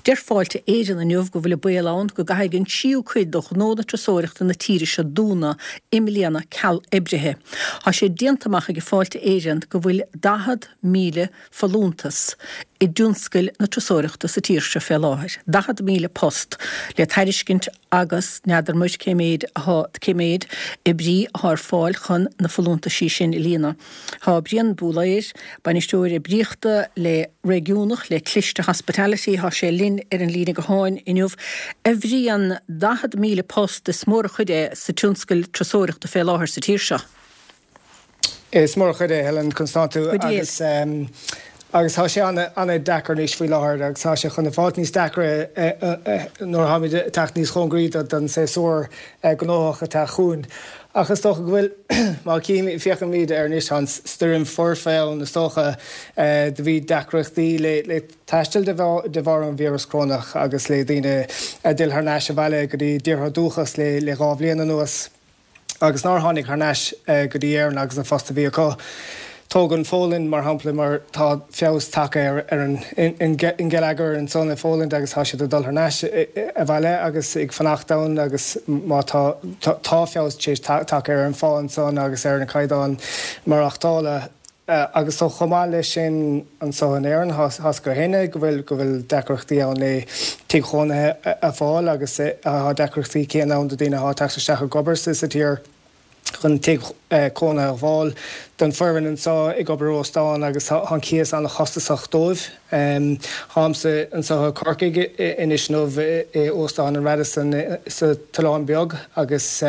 Deir Fáilte Éireann inniu go bhfuil an baol ann go gcaithfidh an tríú cuid de ghnónna turasóireachta na tíre seo dúnadh i mbliana ceal oibrithe. Tá sé déanta amach ag Fáilte Éireann go bhfuil 40,000 folúntas i dtionscail na turasóireachta sa tír seo fé láthair, 40,000 post le tairiscint agus n'fheadar muid cé méid athá, cé méid oibrí athá ar fáil chun na folúntaisí sin a líonadh. Tá Brian Búlaeir, Bainisteoir Oibríochta le Réigiúnach le Cliste Hospitality, tá sé linn ar an líne gutháin inniu. A Bhriain, 40,000 post, is mór an chuid é sa tionscal turasóireachta fé láthair sa tír seo. Is mór an chuid é, Helen, conas tánn tú? Agus agus tá sé an-deacair anois faoi láthair agus tá sé chun fáilt níos deacra nuair atáimid ag teacht níos chóngaraí don séasúr gnóthach ag teacht chugainn. Ach is dócha go bhfuil, má féachaimid air anois, tá an stoirm foirfe ann is dócha, do bhí deacrachtaí le taisteal de bharr an víreas corónach agus le daoine a d'fhill thar n-ais abhaile go dtí a dtíortha dúchas le 2 bhliain anuas. agus nár tháinig thar n-ais go dtí Éirinn agus an post a bhí acu. Tóg an Pholainn, mar shampla, mar tá feabhas tagtha ar an ngeilleagar ansan i Pholand agus tá siad ag dul thar n-ais abhaile agus ag fanacht ann agus má tá tá feabhas tar éis tagtha ar an phá ansan agus ar an caighdeán maireachtála. Agus so chomh maith leis sin anso in Éirinn, tá 's againn féin go bhfuil go bhfuil deacrachtaí ann le tigh chónaithe a fháil agus tá deacrachtaí céanna ann do daoine atá ag teacht isteach ag obair sa tír chun tigh cónaithe a fháil. Don foireann anso ag obair i óstán agus tá an cíos an-chostasach dóibh. Táimse anso i Corcaigh anois inniu i Óstán an Radisson sa tOileán Beag agus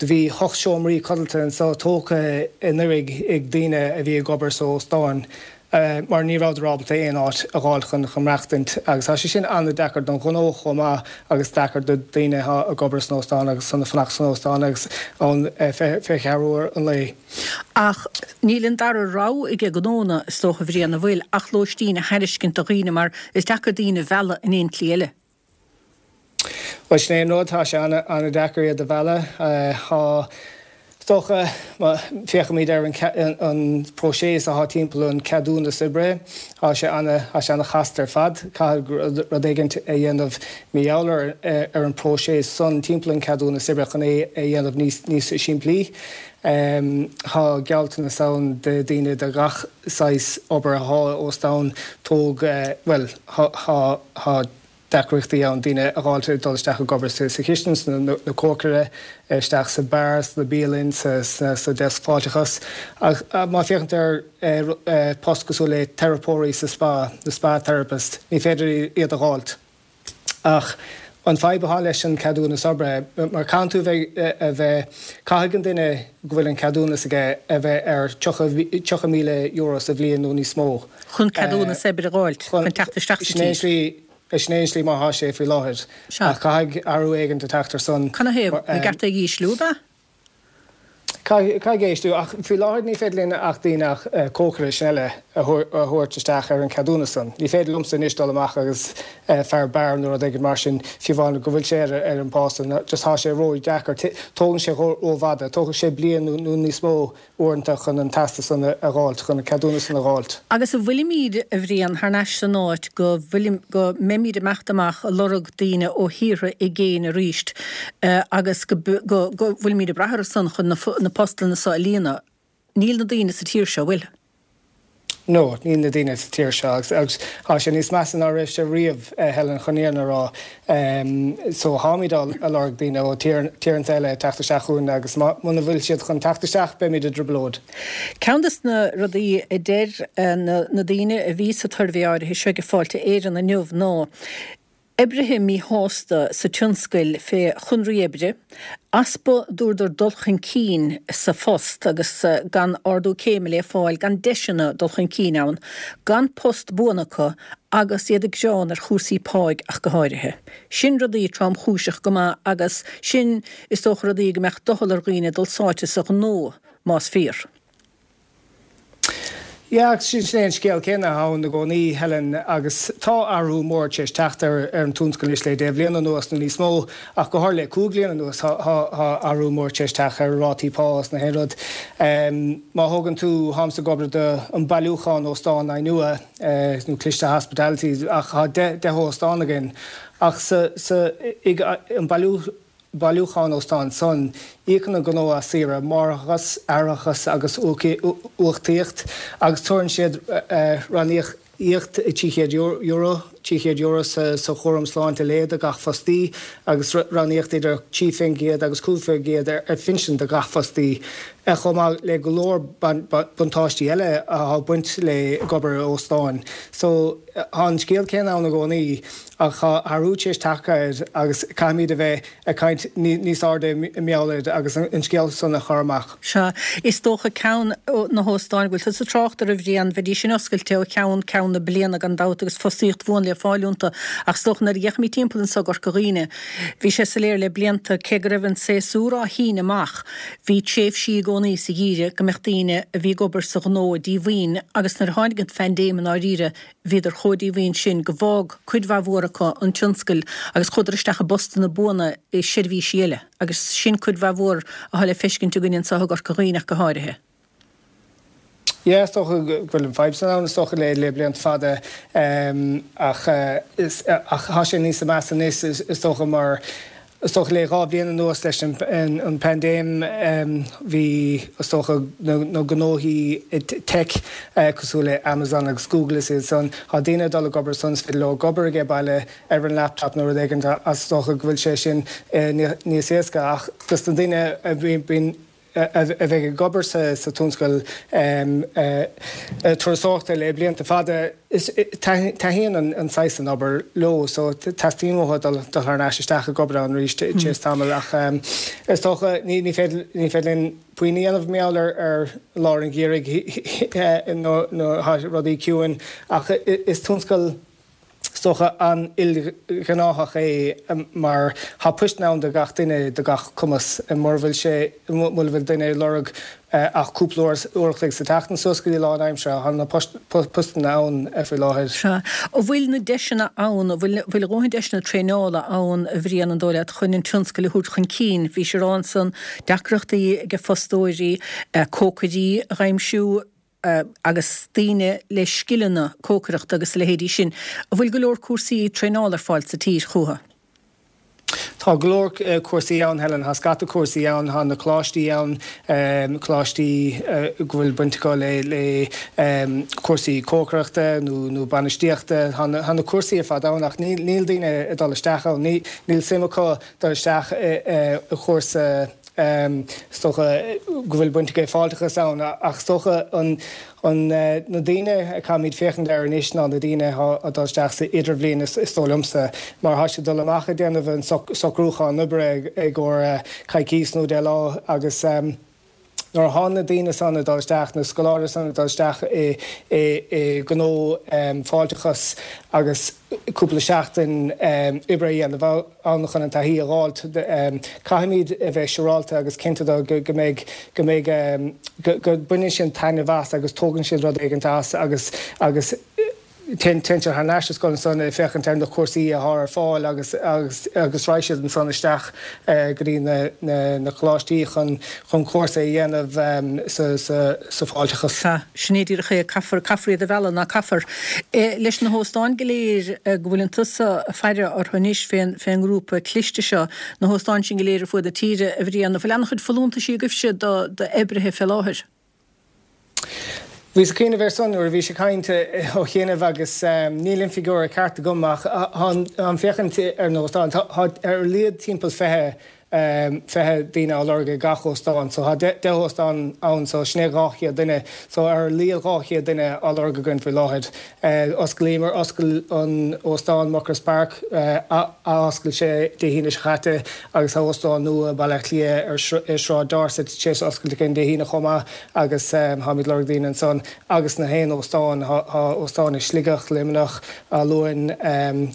Do bhí hocht seomraí codlata anso tógtha anuraidh ag daoine a bhí ag obair sa óstán mar ní rabhadar ábalta aon áit a dh'fháil chun chun maireachtaint agus tá sé sin an-deacair don ghnó chomh maith agus deacair do daoine atá ag obair san óstán agus chun fanacht san óstán agus ann 24 uair an lae. Ach níl an dara rogha ag gnónna, is dócha, a Bhriain, an bhfuil, ach lóistín a thairiscint do dhaoine mar is deacair daoine a mhealladh in aon tslí eile. Bhuel, sin é an rud, tá sé an-deacair iad a mhealladh. Tá, is dócha, má féachaimid ar an próiseas atá timpeall an ceadúnas oibre, tá sé an-chasta ar fad. Caithfidh rud éigin a dhéanamh mar gheall ar an próiseas san timpeall an ceadúnas oibre chun é a dhéanamh níos simplí. Tá gealltanas ann do daoine de gach saghas obair atá i óstán, tóg, bhuel, tá, deacrachtaí ann daoine a dh'fháilt ag dul isteach ag obair sa chistin, sna cócaire, isteach sa beár, sna bialainn, sa deasc fáilteachas. Ach má féachann tú ar post cosúil le teiripeoirí sa spa, na spa therapist, ní féidir iad a dh'fháilt. Ach an fadhb atá leis an ceadúnas oibre, mar caitheann tú a bheith, caithfidh an duine go bhfuil an ceadúnas aige a bheith ar €30,000 sa bhliain nó níos mó. Chun ceadúnas oibre a dh'fháilt, chun teacht isteach sa tír. Sin é an slí mar thá sé faoi láthair. Sea. Ach caithfidh athrú éigint a teacht ar son. Canathaobh? An gceart é a ísliú, ab ea? Caithfidh é ísliú. Ach faoi láthair ní féidir linn ach daoine ach cócaire sin eile a thabhairt isteach ar an ceadúnas san. Ní féidir liomsa anois dul amach agus fear beáir nó rud éigin mar sin, fiú amháin go bhfuil sé ar an bpá san. Just thá sé ró-dheacair. Tógann sé ró-fhada. Tógfaidh sé bliain nó níos mó uaireanta chun an teastas san a dh'fháilt, chun an ceadúnas san a dh'fháilt. Agus an bhfuilimíd, a Bhriain, thar n-ais san áit go bhfuilim, go mbeimíd ag imeacht amach ag lorg daoine ó thíortha i gcéin aríst agus go, go, go bhfuilimíd ag brath orthu san chun na, na postanna so a líonadh? Níl na daoine sa tír seo, an bhfuil? No, níl na daoine sa tír seo agus, agus tá sé níos measa ná raibh sé riamh, Helen, chun an fhírinne a rá. So táimid á lorg daoine ó tíortha eile teacht isteach chugainn agus muna bhfuil siad chun teacht isteach beimid i dtrioblóid. Ceann des na rudaí a deir na daoine a bhí sa tsuirbhé áirithe seo ag Fáilte Éireann inniu ná Oibrithe míshásta sa tionscail fé chonraí oibre, easpa dúradar dul chun cinn sa phost agus gan ardú céime le fáil, gan deiseanna dul chun cinn ann, gan post buan acu agus iad ag gearán ar chúrsaí páigh ach go háirithe. Sin rudaí tromchúiseach go maith agus sin is dócha rudaí go mbeadh doicheall ar dhaoine dul sáite sa ghnó más fíor. Yeah, agus sin é an scéal céanna atá ann i gcónaí, Helen, agus tá athrú mór tar éis teacht ar an tionscal anois le 10 bhliain anuas nó níos mó, ach go háirithe le 5 bliana anuas tá athrú mór tar éis teacht ar rátaí pá is na haon rud. Má thógann tú, tháimse ag obair do an bailiúchán óstán nua, nó Cliste Hospitality, ach tá 10 óstán againn, ach sa, sa, ag an bailiú, bailiúchán óstán san, íocann an gnó as saoire máithreachais, atharachas agus uchtaíocht agus tabharann siad ranníocaíocht €300, €300 sa chúram sláinte lae do gach fostaí agus ranníocaíocht idir 3% agus 5% ar phinsean do gach fostaí, chomh maith le go leor buntáistí eile atá ag baint le ag obair i óstáin. So, tá an scéal céanna ann i gcónaí. Ach tá athrú tar éis teacht air agus caithfimid a bheith ag caint níos airde i ngeall air agus an scéal san a chur amach. Sea, is dócha ceann na hóstáin go bhfuil tusa ag trácht orthu a Bhriain, bheidís sin oscailte ó cheann ceann na bliana gan dabht agus fostaíocht bhuan le fáil iontu ach is dócha nuair a d'fhéachaimid timpeall anso i gCorca Dhuibhne, bhí sé soiléir le blianta cé go raibh an séasúr á shíneadh amach, bhí tréimhsí i gcónaí sa gheimhreadh go mbeadh daoine a bhí ag obair sa ghnó díomhaoin agus nuair a tháinig an phaindéim i ndáiríre, Bhíodar chomh díomhaoin sin go bhfág cuid mhaith mhór acu an tionscal agus chuadar isteach i bpostanna buana i seirbhísí eile agus sin cuid mhaith mhór atá le feiscint againn anseo i gCorca Dhuibhne ach go háirithe. Yeah, is dócha go bhfuil an fadhb san ann is dócha le le blianta fada ach ach tá sé níos measa anois is dócha mar Is dócha le 2 bhliain anuas leis an bpaindéim bhí, is dócha, na gnóthaí tech cosúil le Amazon agus Google is iad san, tá daoine ag dul ag obair ansan, is féidir leo ag obair age baile ar an laptop nó rud éigin is dócha go bhfuil sé sin níos éasca ach dos na daoine a bhíonn a bheidh ag obair sa tionscal turasóireachta le blianta fada, taitníonn an saghas san obair leo so teastaíonn uathu dul thar n-ais isteach ag obair ann arís tar éis tamaill ach is dócha ní féidir linn puinn a dhéanamh mar gheall ar lár an gheimhridh nuair atá rudaí ciúin ach is tionscal Is dócha an-ilghnéitheach é mar tá poist ann do gach duine, do gach cumas. Mura bhfuil sé, mura bhfuil duine ag lorg ach cúpla uair an chloig sa tseachtain suas go dtí lánaimseartha, tá na postanna ann faoi láthair. Sea. An bhfuil na deiseanna ann, an bhfuil a dhóthain deiseanna traenála ann, a Bhriain, an dóigh leat, chun an tionscal a thabhairt chun cinn? Bhís ag rá ansan, deacrachtaí ag fostóirí cócairí a dh'aimsiú, agus daoine le scileanna cócaireachta agus a leithéidí sin. An bhfuil go leor cúrsaí traenála ar fáil sa tír chucu? Tá go leor cúrsaí ann, Helen. Tá scata cúrsaí ann. Tá na coláistí ann, coláistí go bhfuil baint acu le le cúrsaí cócaireachta nó nó bainistíochta. Tá na cúrsaí ar fad ann ach níl níl daoine ag dul isteach ann. Níl suim acu dul isteach i chúrsa Is dócha go bhfuil baint aige fáilteachas ann ach is dócha an na daoine a caithfimid féachaint air anois ná na daoine atá ag dul isteach sa idirbhliain is dóigh liomsa mar tá siad ag dul amach ag déanamh an socrúchán oibre i gcomhair coicís nó 10 lá agus nuair atá na daoine san ag dul isteach, na scoláirí san ag dul isteach i ngnó fáilteachas agus cúpla seachtain oibre a dhéanamh ann chun an taithí a dh'fháilt, caithfimid a bheith siúrálta agus cinnte de go mbeidh, go mbeidh, go mbaineann siad taitneamh as agus tógann siad rud éigint as agus, agus. Téann siad thar n-ais sa scoil ansan ag féachaint ar na cúrsaí atá ar fáil agus agus raghaidh siad ansan isteach go dtí na coláistí chun chun cúrsa a dhéanamh sa sa fáilteachas. Sea, sin é díreach é, caithfear, caithfear iad a mhealladh, ná caithfear? Leis na hóstáin go léir go bhfuileann tusa ag faire orthu anois fén fén ngrúpa cliste seo, na hóstáin sin go léir ar fuaid na tíre, a Bhriain, an bhfuil an-chuid folúntaisí agaibhse do d'oibrithe fé láthair? Bhíos ag cuimhneamh air san nuair a bhís ag caint ó chianaibh agus níl an figiúr ceart agam ach táim féachaint ar na hóstáin. Tá ar a laghad timpeall 20, 20 daoine á lorg ag gach óstán. So tá 10 óstán ann so sin é 200 duine. So ar a laghad 200 duine á lorg againn faoi láthair. Osclaíomar, oscail an óstán Muckross Park, athoscail sé Dé hAoine seo caite agus tá óstán nua i Baile Átha Cliath ar Sráid Dorset tar éis oscailt againn Dé hAoine chomh maith agus táimid ag lorg daoine ansan agus na haon óstán, tá óstáin i Sligeach, Luimneach, Áth Luain,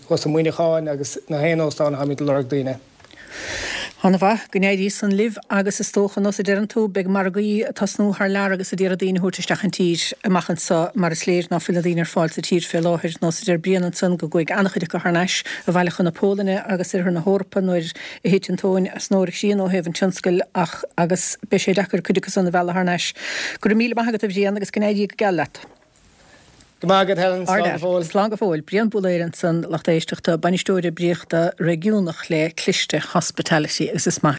thuas i Muineacháin agus na haon óstán táimid ag lorg daoine. Ana mhaith, go n-éirí san libh agus is dócha, nós a deireann tú, beidh margaí ag tosnú thar lear agus ag iarraidh daoine a thabhairt isteach an tír amach anso mar is léir ná fuil na daoine ar fáil sa tír fé láthair, nós a deir Brian ansan go gcuaigh an-chuid acu thar n-ais abhaile chun na Pólainne agus oirthear na hEorpa nuair a thit an tóin as an gcroí ó thaobh an tionscail ach agus beidh sé deacair cuid acu san a mhealladh thar n-ais. Go raibh míle maith agat a Bhriain agus go n-éirí go geal leat. Go maith agat Helen, slán go fóill. Slán go fóill. Brian Búlaeir ansan, lucht éisteachta, Bainisteoir Oibríochta Réigiúnach le Cliste Hospitality agus is maith.